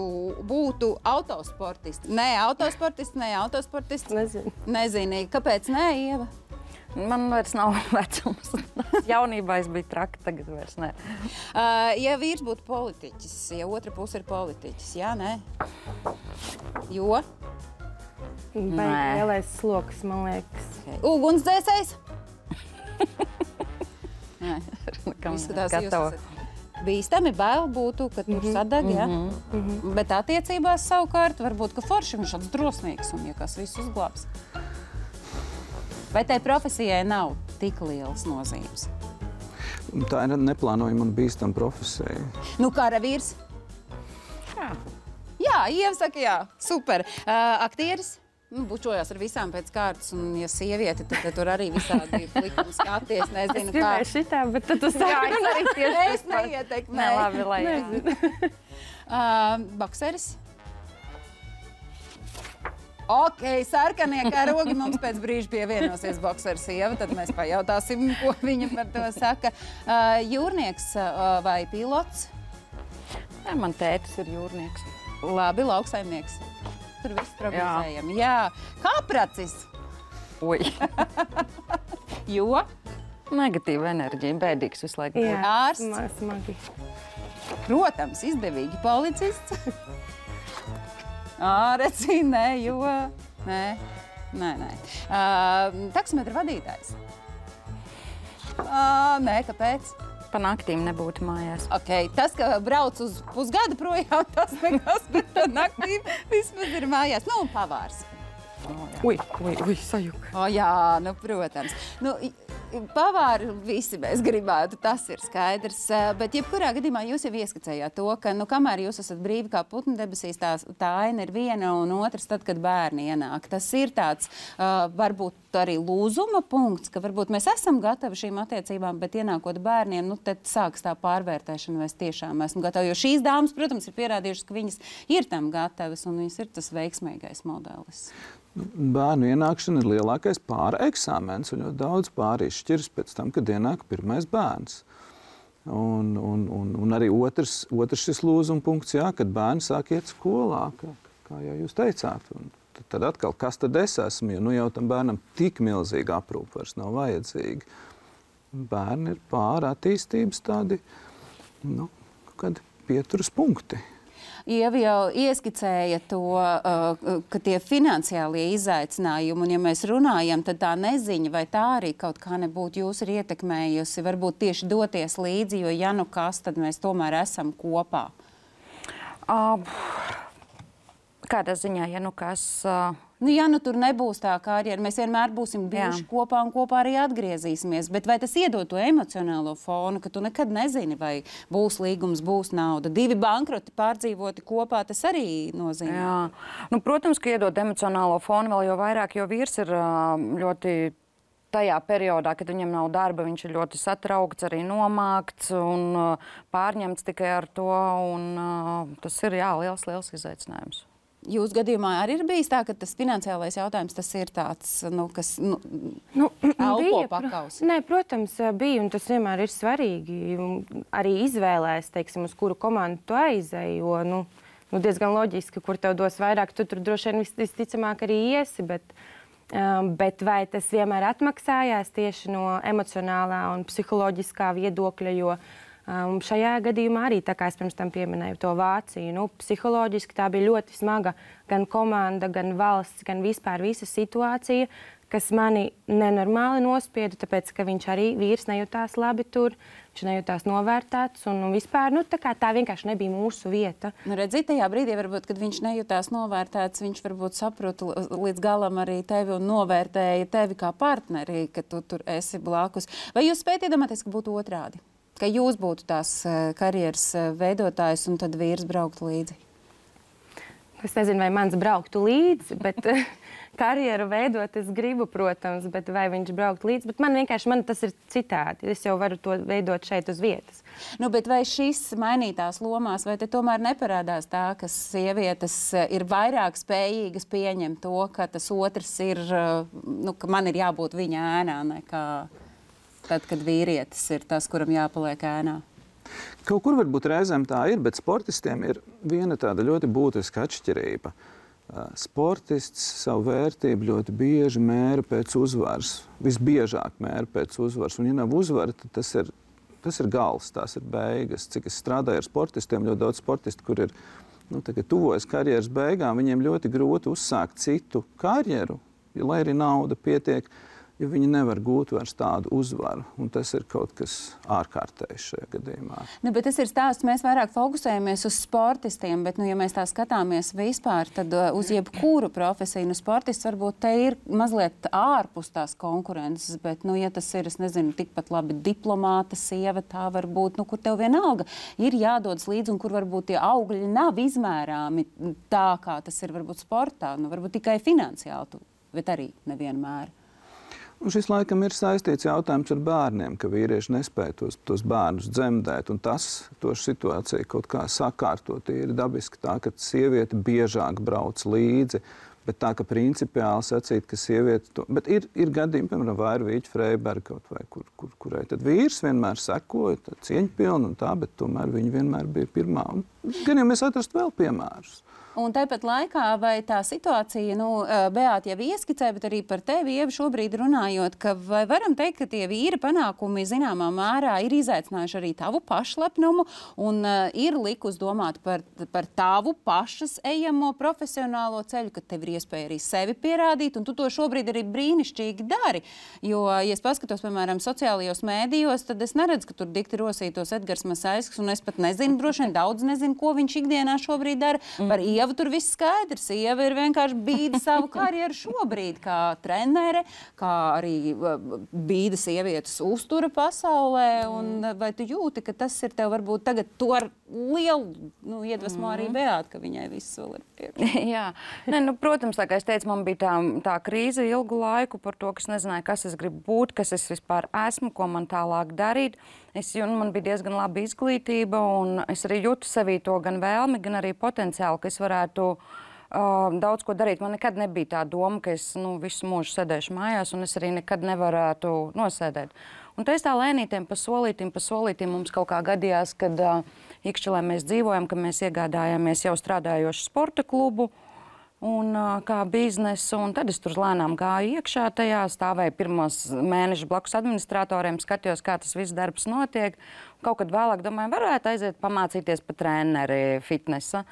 būtu autosportisti. Nē, autosportisti, nē, autosportisti. Nezinu. Nezinu. Kāpēc nē, Ieva? Man vairs nav vecums. Jaunībā es biju traki, tagad vairs ne. Uh, ja vīrs būtu politiķis, ja otra puse ir politiķis, jā, nē? Jo? Baigi lielais sloks, man liekas. Okay. Ugunsdzēsējs? Nē. Kam Izskatās, jūs gatava. esat bīstami, bail būtu, ka tur sadag, ja? Bet attiecībās savukārt varbūt, ka forši viņš tāds drosmīgs un ja kas visu uzglābs. Vai tai profesijai nav tik lielas nozīmes? Tā ir neplānojama un bīstama profesija. Nu, karavīrs? Jā. Jā, Ieva saka, jā, super. Uh, aktieris? Nu, bučojās ar visām pēc kārtas, un ja sieviete, tad, tad tur arī visādi likumi skaties, nezinu, Es gribēju šitā, bet tad tu Jā, sāki. es arī tieši Es neietekmēju. Ne, labi, lai Uh, bokseris? Ok, sarkanie karogi mums pēc brīža pievienosies bokseris Ieva, tad mēs pajautāsim, ko viņa par to saka. Uh, jūrnieks uh, vai pilots? Jā, man tētis ir jūrnieks. Labi, lauksaimnieks. Tur viss prognozējam. Jā. Kāpracis? Oi. Jo? Negatīva enerģija, bēdīgs visu laiku. Jā, Ārsts? sma- smagi. Protams, izdevīgi policists. Āreci, nē, jo... Nē, nē, nē. Uh, taksometra vadītājs? Uh, nē, kāpēc? Pa naktīm nebūtu mājās. Okay, tas, ka brauc uz pusgadu projām, tas nekas, bet tā naktī vismaz ir mājās. Nu, un pavārs. Ui, ui, ui, sajuka. O, jā, nu, protams. Nu, i- pavāri visi mēs gribētu, tas ir skaidrs. Eh, Bet jebkurā gadījumā jūs jau ieskicējāt to, ka, nu, kamēr jūs esat brīvi kā putni debesīs, tā, tā aina ir viena un otrs tad, kad bērni ienāk. Tas ir tāds, uh, varbūt arī lūzuma punkts, ka varbūt mēs esam gatavi šīm attiecībām, bet ienākot bērniem, nu, tad sāks tā pārvērtēšana, vai es tiešām esmu gatava. Jo šīs dāmas, protams, ir pierādījušas, ka viņas ir tam gatavas un viņas ir tas veiksmīgais modelis. Bērnu ienākšana ir lielākais pāra eksāmens, un ļoti daudz pāri izšķiras pēc tam, kad ienāk pirmais bērns. Un, un, un, un arī otrs, otrs šis lūzuma punkts, jā, kad bērni sāk iet skolā, kā, kā jau jūs teicāt. Un tad, tad atkal, kas tad es esmu, jo nu jau tam bērnam tik milzīga aprūpe vairs nav vajadzīga. Bērni ir pāra attīstības tādi, nu, kādi pieturas punkti. Ieva jau ieskicēja to, uh, ka tie finansiālie izaicinājumi, un ja mēs runājam, tad tā neziņa, vai tā arī kaut kā nebūtu jūs ir ietekmējusi, varbūt tieši doties līdzi, jo ja nu kas, tad mēs tomēr esam kopā. Uh, kādā ziņā, ja nu kas... Uh... Nu, ja nu tur nebūs tā karjera, mēs vienmēr būsim bijuši Jā. kopā un kopā arī atgriezīsimies. Bet vai tas iedod to emocionālo fonu, ka tu nekad nezini, vai būs līgums, būs nauda? Divi bankroti pārdzīvoti kopā, tas arī nozīmē. Jā. Nu, protams, ka iedod emocionālo fonu vēl jo vairāk, jo vīrs ir ā, ļoti tajā periodā, kad viņam nav darba, viņš ir ļoti satraukts, arī nomākts un ā, pārņemts tikai ar to. Un, ā, tas ir jā, liels, liels izaicinājums. Jūsu gadījumā arī ir bijis tā, ka tas finansiālais jautājums tas ir tāds, nu, kas nu, Nu, elpo bija, pro- pakaus. Nē, protams, bija, un tas vienmēr ir svarīgi. Un arī izvēlēs, teiksim, uz kuru komandu tu aizēji, jo nu, nu, diezgan loģiski, kur tev dos vairāk, tu tur droši vien vis- visticamāk arī iesi. Bet, um, bet vai tas vienmēr atmaksājās tieši no emocionālā un psiholoģiskā viedokļa, jo Um, šajā gadījumā arī, tā kā es pirms tam pieminēju to Vāciju, nu, psiholoģiski tā bija ļoti smaga gan komanda, gan valsts, gan vispār visa situācija, kas mani nenormāli nospieda, tāpēc, ka viņš arī vīrs nejūtās labi tur, viņš nejūtās novērtēts un, un vispār, nu, tā kā tā vienkārši nebija mūsu vieta. Nu, redzīt, tajā brīdī, varbūt, kad viņš nejūtās novērtēts, viņš varbūt saprota līdz galam arī tevi un novērtēja tevi kā partneri, ka tu tur esi blakus. Vai jūs spējat iedomāties, ka būtu otrādi? Ka jūs būtu tās uh, karjeras uh, veidotājs un tad vīrs brauktu līdzi? Es nezinu, vai mans brauktu līdzi, bet karjeru veidot es gribu, protams, bet vai viņš braukt līdzi. Bet man vienkārši man tas ir citādi. Es jau varu to veidot šeit uz vietas. Nu, bet vai šis mainītās lomās, vai te tomēr neparādās tā, ka sievietes uh, ir vairāk spējīgas pieņemt to, ka tas otrs ir, uh, nu, ka man ir jābūt viņa ēnā nekā tad, kad vīrietis ir tas, kuram jāpaliek ēnā? Kaut kur varbūt reizēm tā ir, bet sportistiem ir viena tāda ļoti būtiska atšķirība. Sportists savu vērtību ļoti bieži mēra pēc uzvaras. Visbiežāk mēra pēc uzvaras. Un, ja nav uzvara, tad tas ir, tas ir gals, tās ir beigas. Cik es strādāju ar sportistiem, ļoti daudz sportistu, kur ir nu, tuvojas karjeras beigām, viņiem ļoti grūti uzsākt citu karjeru, ja, lai arī nauda pietiek, ja viņi nevar gūt vairs tādu uzvaru. Un tas ir kaut kas ārkārtējs šajā gadījumā. Nu, bet tas ir stāsts, mēs vairāk fokusējamies uz sportistiem, bet, nu, ja mēs tā skatāmies vispār, tad uh, uz jebkuru profesiju, nu, sportists varbūt te ir mazliet ārpus tās konkurences, bet, nu, ja tas ir, es nezinu, tikpat labi diplomāta sieva, tā varbūt, nu, kur tev vienalga ir jādodas līdzi un kur varbūt tie augļi nav izmērāmi tā, kā tas ir varbūt sportā, nu, varbūt tikai finansiāli, bet arī nevienmēr. Un šis laikam ir saistīts jautājums ar bērniem, ka vīrieši nespēja tos, tos bērnus dzemdēt. Un tas to situāciju kaut kā sakārtot ir dabiski tā, ka sieviete biežāk brauc līdzi. Bet tā, ka principiāli sacīt, ka sieviete to... Bet ir, ir gadījumi, piemēram, Vairvīķa Freiberga kaut vai, kur, kur, kurai tad vīrs vienmēr sekoja, cieņpilni un tā, bet tomēr viņa vienmēr bija pirmā. Un gan jau mēs atrastu vēl piemērus. Un tāpat laikā, vai tā situācija, nu, Beāta jau ieskicē, bet arī par tevi, Ieva, šobrīd runājot, ka vai varam teikt, ka tie vīra panākumi zināmā mērā ir izaicinājuši arī tavu pašlepnumu un uh, ir likus domāt par, par tavu pašas ejamo profesionālo ceļu, ka tev ir iespēja arī sevi pierādīt, un tu to šobrīd arī brīnišķīgi dari. Jo, ja es paskatos, piemēram, sociālajos mēdījos, tad es neredzu, ka tur dikti rosītos Edgars Masaisks, un es pat nezinu, droši vien daudz nezinu, ko viņš ikdienā šobrīd dara. Par Ievu tur viss skaidrs. Ieva ir vienkārši bīda savu karjeru šobrīd kā trenere, kā arī bīda sievietes uztura pasaulē. Un vai tu jūti, ka tas ir tev varbūt tagad to ar lielu nu, iedvesmo arī Beāta, ka viņai viss vēl ir priekšā? Jā. Ne, nu, protams, tā kā es teicu, man bija tā, tā krīze ilgu laiku par to, ka es nezināju, kas es gribu būt, kas es vispār esmu, ko man tālāk darīt. Es, man bija diezgan laba izglītība, un es arī jūtu sevī to gan vēlmi, gan arī potenciālu, ka es varētu uh, daudz ko darīt. Man nekad nebija tā doma, ka es nu, visu mūžu sēdēšu mājās, un es arī nekad nevarētu nosēdēt. Un tā es tā lēnītiem pa solītim, pa solītim mums kaut kā gadījās, kad uh, Ikšķelē mēs dzīvojam, ka mēs iegādājāmies jau strādājošu sporta klubu, un uh, kā biznesu, un tad es tur lēnām gāju iekšā tajā, stāvēju pirmos mēnešus blakus administratoriem, skatījos, kā tas viss darbs notiek. Kaut kad vēlāk domāju, varētu aiziet pamācīties pa treneri fitnesa.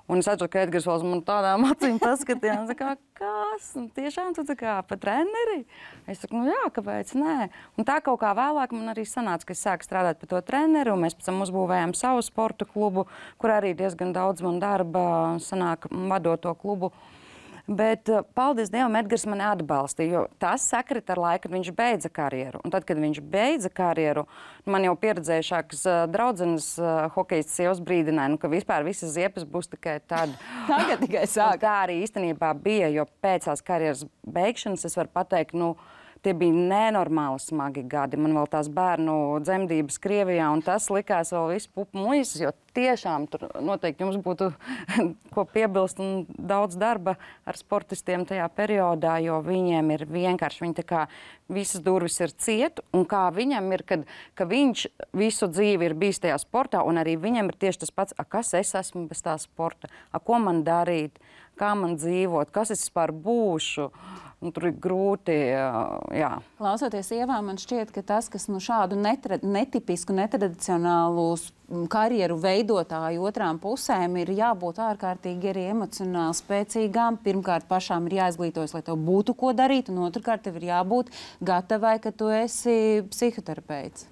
Un es atceru, ka Edgars vēl man tādām acīm paskatījās, kā, kas? Un tiešām tu tā kā pa treneri? Es saku, nu jā, kāpēc nē? Un tā kaut kā vēlāk man arī sanāca, ka es sāku strādāt par to treneru, un mēs pēc tam uzbūvējām savu sporta klubu, kur arī diezgan daudz man darba sanāk vadot to klubu. Bet, paldies Dievam, Edgars mani atbalstīja, jo tas sakrit ar laiku, kad viņš beidza karjeru. Un tad, kad viņš beidza karjeru, man jau pieredzējušākas draudzenes hokejistas sievas brīdināja, nu, ka vispār visas ziepes būs tikai tad. Tagad tikai sāk. Tā arī īstenībā bija, jo pēc tās karjeras beigšanas es varu pateikt, nu, tie bija nenormāli smagi gadi. Man vēl tās bērnu dzemdības Krievijā, un tas likās vēl visu pupu muises, jo tiešām tur noteikti jums būtu ko piebilst un daudz darba ar sportistiem tajā periodā, jo viņiem ir vienkārši, viņi tā kā visas durvis ir ciet, un kā viņam ir, kad, ka viņš visu dzīvi ir bijis tajā sportā, un arī viņam ir tieši tas pats, a, kas es esmu bez tā sporta, a, ko man darīt, kā man dzīvot, kas es vispār būšu. Un tur ir grūti, jā. Klausoties Ievā, man šķiet, ka tas, kas nu šādu netra, netipisku, netradicionālu karjeru veidotāju otrām pusēm ir jābūt ārkārtīgi arī emocionāli spēcīgām. Pirmkārt, pašām ir jāizglītojas, lai tev būtu ko darīt, un otrkārt, tev ir jābūt gatavai, ka tu esi psihoterapeits.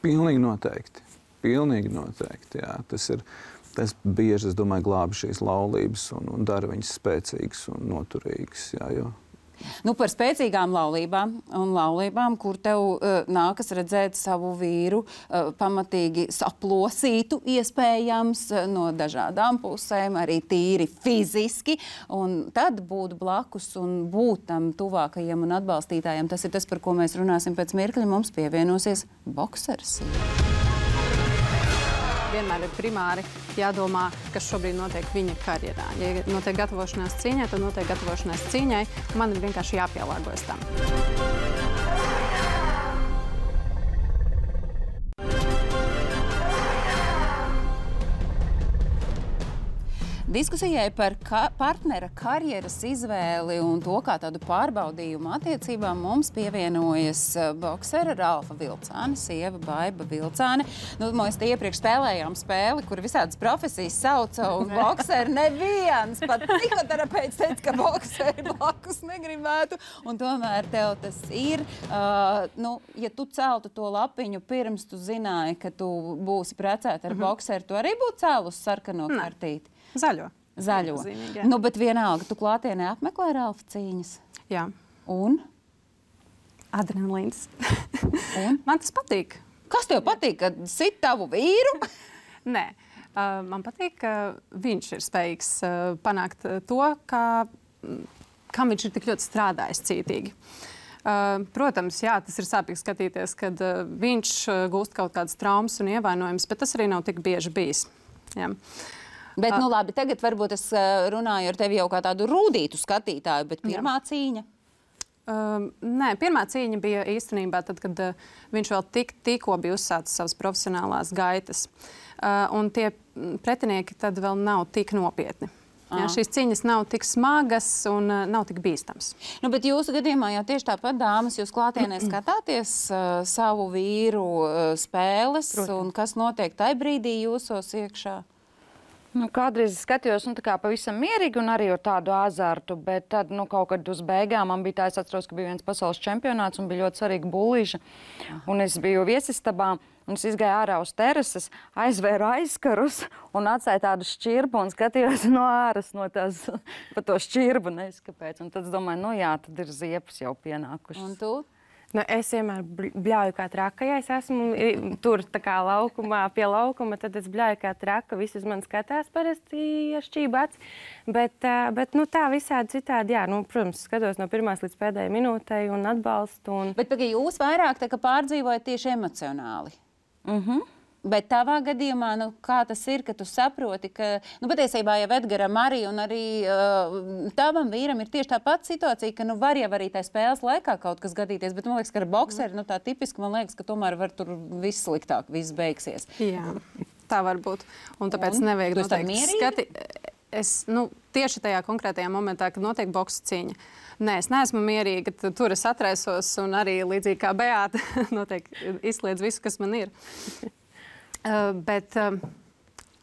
Pilnīgi noteikti. Pilnīgi noteikti, jā. Tas ir... Tas bieži, es domāju, glābi šīs laulības un, un dara viņas spēcīgas un noturīgas. Jā, jo. Nu, par spēcīgām laulībām un laulībām, kur tev uh, nākas redzēt savu vīru uh, pamatīgi saplosītu, iespējams, uh, no dažādām pusēm, arī tīri fiziski, un tad būt blakus un būt tam tuvākajiem un atbalstītājiem. Tas ir tas, par ko mēs runāsim pēc mirkļa. Mums pievienosies boksers. Vienmēr ir primāri jādomā, kas šobrīd notiek viņa karjerā. Ja notiek gatavošanās cīņai, tad notiek gatavošanās cīņai. Man ir vienkārši jāpielāgojas tam. Diskusijai par ka partnera karjeras izvēli un to, kā tādu pārbaudījumu attiecībām mums pievienojas boksera Ralfa Vilcāne, sieva Baiba Vilcāne. Nu, mēs te iepriekš spēlējām spēli, kur visādas profesijas sauca, un bokseri neviens, pat psihoterapeits teica, ka bokseri blakus negribētu, un tomēr tev tas ir. Uh, nu, ja tu celtu to lapiņu pirms tu zināji, ka tu būsi precēta ar mm-hmm. bokseru, tu arī būtu cēlus sarkano kartīti? Zaļo. Zaļo. Zīmīgi, nu, bet vienalga, tu klātienē apmeklē Ralfa cīņas. Jā. Un? Adrenalīns. Un? Man tas patīk. Kas tev patīk, kad sit tavu vīru? Nē. Uh, man patīk, ka viņš ir spējīgs uh, panākt to, ka, kam viņš ir tik ļoti strādājis cītīgi. Uh, protams, jā, tas ir sāpīgi skatīties, kad uh, viņš uh, gūst kaut kādas traumas un ievainojumus, bet tas arī nav tik bieži bijis. Jā. Bet, nu labi, tagad varbūt es runāju ar tevi jau kā tādu rūdītu skatītāju, bet pirmā Jā. cīņa? Um, nē, pirmā cīņa bija īstenībā tad, kad uh, viņš vēl tik, tikko bija uzsācis savas profesionālās gaitas. Uh, un tie pretinieki tad vēl nav tik nopietni. Jā, šīs cīņas nav tik smagas un uh, nav tik bīstams. Nu, bet jūsu gadījumā jau tieši tāpat, dāmas, jūs klātienē skatāties uh, savu vīru uh, spēles, Protams. Un kas notiek tai brīdī jūsos iekšā? Nu, kādreiz skatījos nu, tā kā pavisam mierīgi un arī ar tādu azartu, bet tad nu, kaut kad uz beigām man bija tā, es atceros, ka bija viens pasaules čempionāts un bija ļoti svarīga bullīša. Un es biju viesistabā un es izgāju ārā uz terases, aizvēru aizkarus un atstāju tādu šķirbu un skatījos no āras no tās, pa to šķirbu, nezinu kāpēc. Un tad es domāju, nu jā, tad ir ziepes jau pienākušas. Un tu? Nu, es vienmēr bļauju kā traka, ja es esmu tur tā kā laukumā, pie laukuma, tad es bļauju kā traka, visi uz mani skatās parasti ar šķību aci. Bet, bet nu, tā visādi citādi, jā, nu, protams, skatos no pirmās līdz pēdējai minūtei un atbalstu. Un... Bet pagad, jūs vairāk tā kā pārdzīvojat tieši emocionāli. Mhm. Bet tavā gadījumā, nu, kā tas ir, ka tu saproti, ka, nu, patiesībā jau Edgaram arī un arī uh, tavam vīram ir tieši tā pati situācija, ka, nu, var jau arī tā spēles laikā kaut kas gadīties, bet man liekas, ka ar bokseri, nu, tā tipiski, man liekas, ka tomēr var tur viss sliktāk, viss beigsies. Jā, tā var būt. Un tāpēc un? nevajag noteikti skati. Es, nu, tieši tajā konkrētajā momentā, kad notiek boksa cīņa, nē, es neesmu mierīga, tur es atraisos un arī līdzīgi kā Beāta noteikti izsliedz visu, kas man ir. Uh, bet, uh,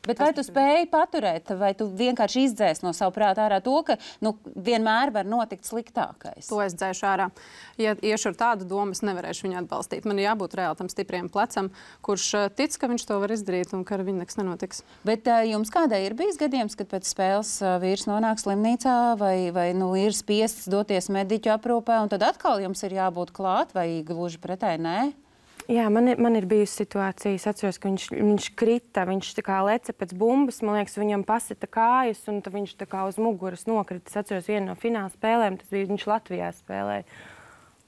bet vai tu spēji paturēt, vai tu vienkārši izdzēsi no savu prātu ārā to, ka nu, vienmēr var notikt sliktākais? To es dzēšu ārā. Ja iešu ar tādu domu, es nevarēšu viņu atbalstīt. Man ir jābūt reāli tam stipriem plecam, kurš tic, ka viņš to var izdarīt un ka ar viņu nekas nenotiks. Bet uh, jums kādai ir bijis gadījums, kad pēc spēles uh, vīrs nonāk slimnīcā vai, vai nu, ir spiests doties mediķu aprūpē, un tad atkal jums ir jābūt klāt, vai gluži pretēji nē? Jā, man ir, man ir bijusi situācija, es atceros, ka viņš, viņš krita, viņš tā kā leca pēc bumbas, man liekas, viņam pasita kājas, un tad viņš tā kā uz muguras nokrita. Es atceros vienu no fināla spēlēm, tas bija, viņš Latvijā spēlēja.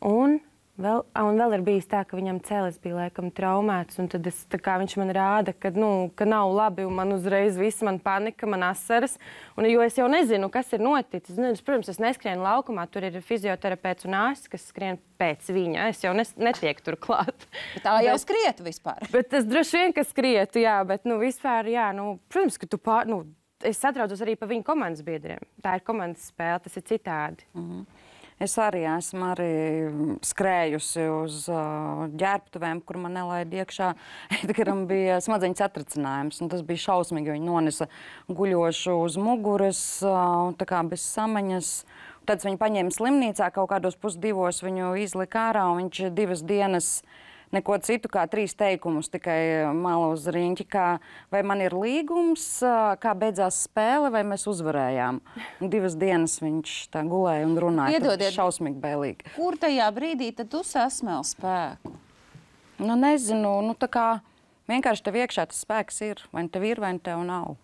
Un vēl, un vēl ir bijis tā, ka viņam celis bija laikam traumēts, un tad es, tā kā viņš man rāda, ka, nu, ka nav labi, un man uzreiz viss, man panika, man asaras, un jo es jau nezinu, kas ir noticis. Nu, protams, es neskrienu laukumā, tur ir fizioterapeits un ārsts, kas skrien pēc viņa. Es jau nes, netieku tur klāt. Bet tā jau bet, skrietu vispār. Bet es droši vien, ka skrietu, jā, bet, nu, vispār, jā, nu, protams, ka tu pār, nu, es satraucos arī par viņu komandas biedriem. Tā ir komandas spēle, tas ir citādi. Mhm. Es arī esmu arī skrējusi uz uh, ģērbtuvēm, kur man nelaida iekšā. Edgaram bija smadzeņu satricinājums, un tas bija šausmīgi, jo viņi nonesa guļošu uz muguras, uh, tā kā bez samaņas. Tad viņi paņēma slimnīcā, kaut kādos pusdivos viņu izlika ārā, un viņš divas dienas neko citu kā trīs teikumus, tikai malu uz riņķi, kā vai man ir līgums, kā beidzās spēle, vai mēs uzvarējām. Un divas dienas viņš tā gulēja un runāja. Iedodiet, šausmīgi bailīgi. Kur tajā brīdī tad tu sasmēl spēku? Nu, nezinu, nu tā kā vienkārši tev iekšā tas spēks ir, vai tev ir, vai tev nav.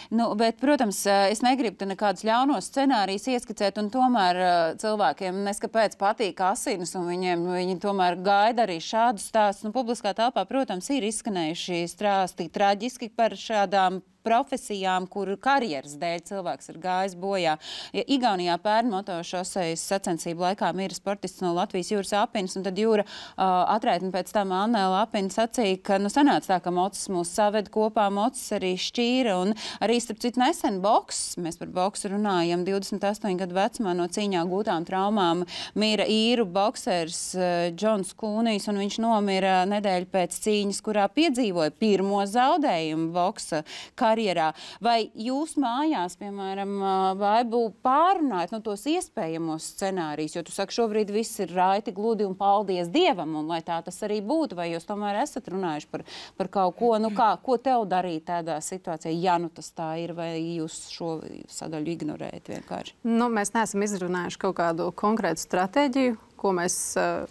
Nu, bet, protams, es negribu te nekādus ļaunos scenārijus ieskicēt, un tomēr cilvēkiem neskapēc patīk asinis, un viņiem, viņi tomēr gaida arī šādus stāstus. Nu, publiskā telpā, protams, ir izskanējuši stāsti traģiski par šādām profesijām, kur karjeras dēļ cilvēks ir gājis bojā. Ja Igaunijā pērn motošosejas sacensību laikā mira sportists no Latvijas Jūras Apinas, un tad Jūra uh, atraitni pēc tam Anne Lapina sacīja, ka nu sanāca tā, ka mocis mūs saved kopā, mocis arī šķīra, un arī, starp citu, nesen boks, mēs par boksu runājam, divdesmit astoņu gadu vecumā no cīņā gūtām traumām mira īru boksers uh, Džons Kūnijs, un viņš nomira nedēļu pēc cīņas, kurā piedzīvoja pirmo zaudējumu boksa karjerā. Vai jūs mājās, piemēram, Baibu, pārunājat no tos iespējamos scenārijus, jo tu saki, šobrīd viss ir raiti, gludi un paldies Dievam, un lai tā tas arī būtu, vai jūs tomēr esat runājuši par, par kaut ko, nu kā, ko tev darīt tādā situācijā, ja nu tas tā ir, vai jūs šo sadaļu ignorējat vienkārši? Nu, mēs neesam izrunājuši kaut kādu konkrētu stratēģiju, ko mēs,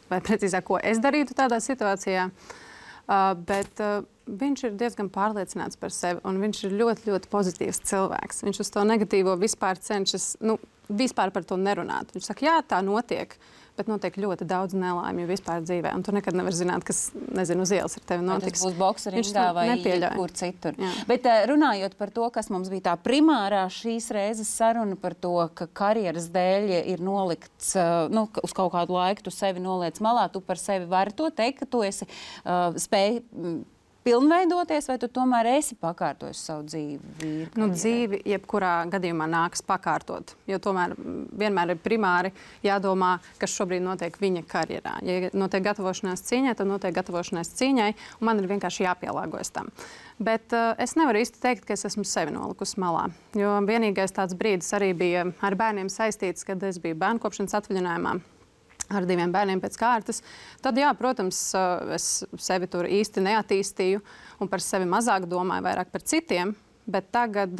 vai precīzāk, ko es darītu tādā situācijā, bet viņš ir diezgan pārliecināts par sevi, un viņš ir ļoti, ļoti pozitīvs cilvēks. Viņš uz to negatīvo vispār cenšas, nu, vispār par to nerunāt. Viņš saka, jā, tā notiek, bet notiek ļoti daudz nelaimju vispār dzīvē, un tu nekad nevar zināt, kas, nezinu, uz ielas ar tevi notiks. Vai tas būs bokseringā vai nepieļauj. kur citur. Jā. Bet runājot par to, kas mums bija tā primārā šīs reizes saruna par to, ka karjeras dēļ ir nolikts, nu, uz kaut kādu laiku tu sevi noliec malā, tu par sevi vari to teikt, ka tu esi uh, spēj pilnveidoties, vai tu tomēr esi pakārtojis savu dzīvi? Nu, dzīvi jebkurā gadījumā nākas pakārtot, jo tomēr vienmēr ir primāri jādomā, kas šobrīd notiek viņa karjerā. Ja notiek gatavošanās cīņai, tad notiek gatavošanās cīņai, un man ir vienkārši jāpielāgojas tam. Bet uh, es nevaru īsti teikt, ka es esmu sevi nolikusi malā, jo vienīgais tāds brīdis arī bija ar bērniem saistīts, kad es biju bērnkopšanas atvaļinājumā ar diviem bērniem pēc kārtas. Tad, jā, protams, es sevi tur īsti neattīstīju un par sevi mazāk domāju, vairāk par citiem, bet tagad,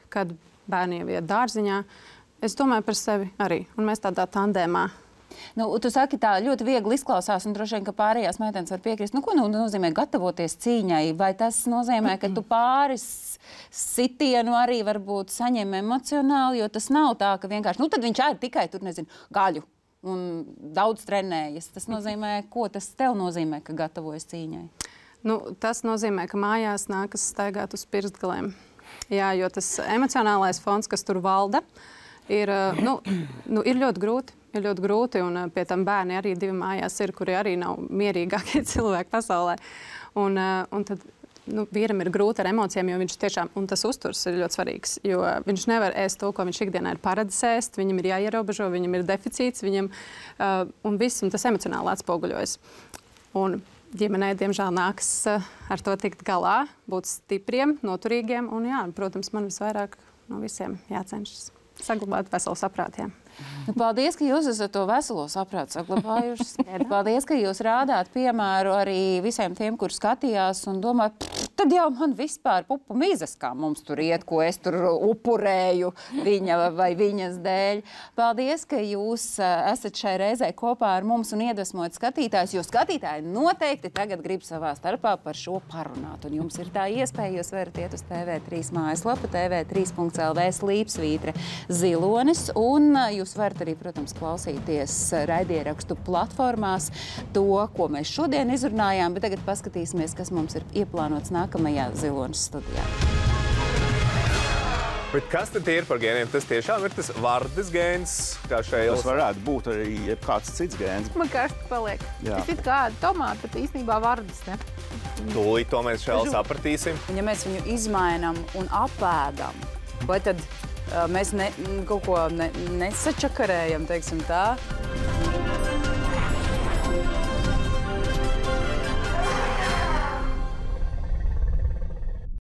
kad bērni jau iet dārziņā, es domāju par sevi arī, un mēs tādā tandēmā. Nu, tu saki, tā ļoti viegli izklausās, un droši vien, ka pārējās meitenes var piekrist. Nu, ko nu, nozīmē gatavoties cīņai? Vai tas nozīmē, ka tu pāris sitienu arī varbūt saņem emocionāli, jo tas nav tā, ka vienkārši, nu, tad viņš ēd tikai tur, nezinu, gaļu un daudz trenējas. Tas nozīmē, ko tas tev nozīmē, ka gatavojas cīņai? Nu, tas nozīmē, ka mājās nākas staigāt uz pirkstgaliem. Jā, jo tas emocionālais fons, kas tur valda, ir, nu, nu, ir ļoti grūti. Ir ļoti grūti, un pie tam bērni arī divi mājās ir, kuri arī nav mierīgākie cilvēki pasaulē. Un, un tad nu, vīram ir grūti ar emocijām, jo viņš tiešām, un tas uzturs ir ļoti svarīgs, jo viņš nevar ēst to, ko viņš ikdienā ir paredzējis ēst, viņam ir jāierobežo, viņam ir deficīts, viņam, uh, un viss, un tas emocionāli atspoguļojas. Un ģimenei, diemžēl, nāks uh, ar to tikt galā, būt stipriem, noturīgiem, un jā, protams, man visvairāk no visiem jācenšas saglabāt veselu saprātu. Nu, paldies, ka jūs esat to veselo saprātu saglabājušas. Paldies, ka jūs rādāt piemēru arī visiem tiem, kur skatījās un domāja, tad jau man vispār pupu mizas, kā mums tur iet, ko es tur upurēju viņa vai viņas dēļ. Paldies, ka jūs esat šai reizē kopā ar mums un iedvesmojat skatītājus, jo skatītāji noteikti tagad grib savā starpā par šo parunāt. Un jums ir tā iespēja, jūs varat iet uz T V trīs mājaslapu, T V trīs punkts L V slīpsvītre zilonis, un jūs varat arī, protams, klausīties raidierakstu platformās to, ko mēs šodien izrunājām, bet tagad paskatīsimies, kas mums ir ieplānots nākamajā Zilonis studijā. Bet kas tad ir par gēniem? Tas tiešām ir tas vardes gēns, kā šeit. Tas varētu būt arī kāds cits gēns. Man karsti paliek. Jā. Tas ir kā tomāti, bet īstenībā vardes, ne? Tūlīt to mēs šeit sapratīsim. Ja mēs viņu izmainām un apēdam, vai tad uh, mēs ne, kaut ko ne, nesačakarējam, teiksim tā,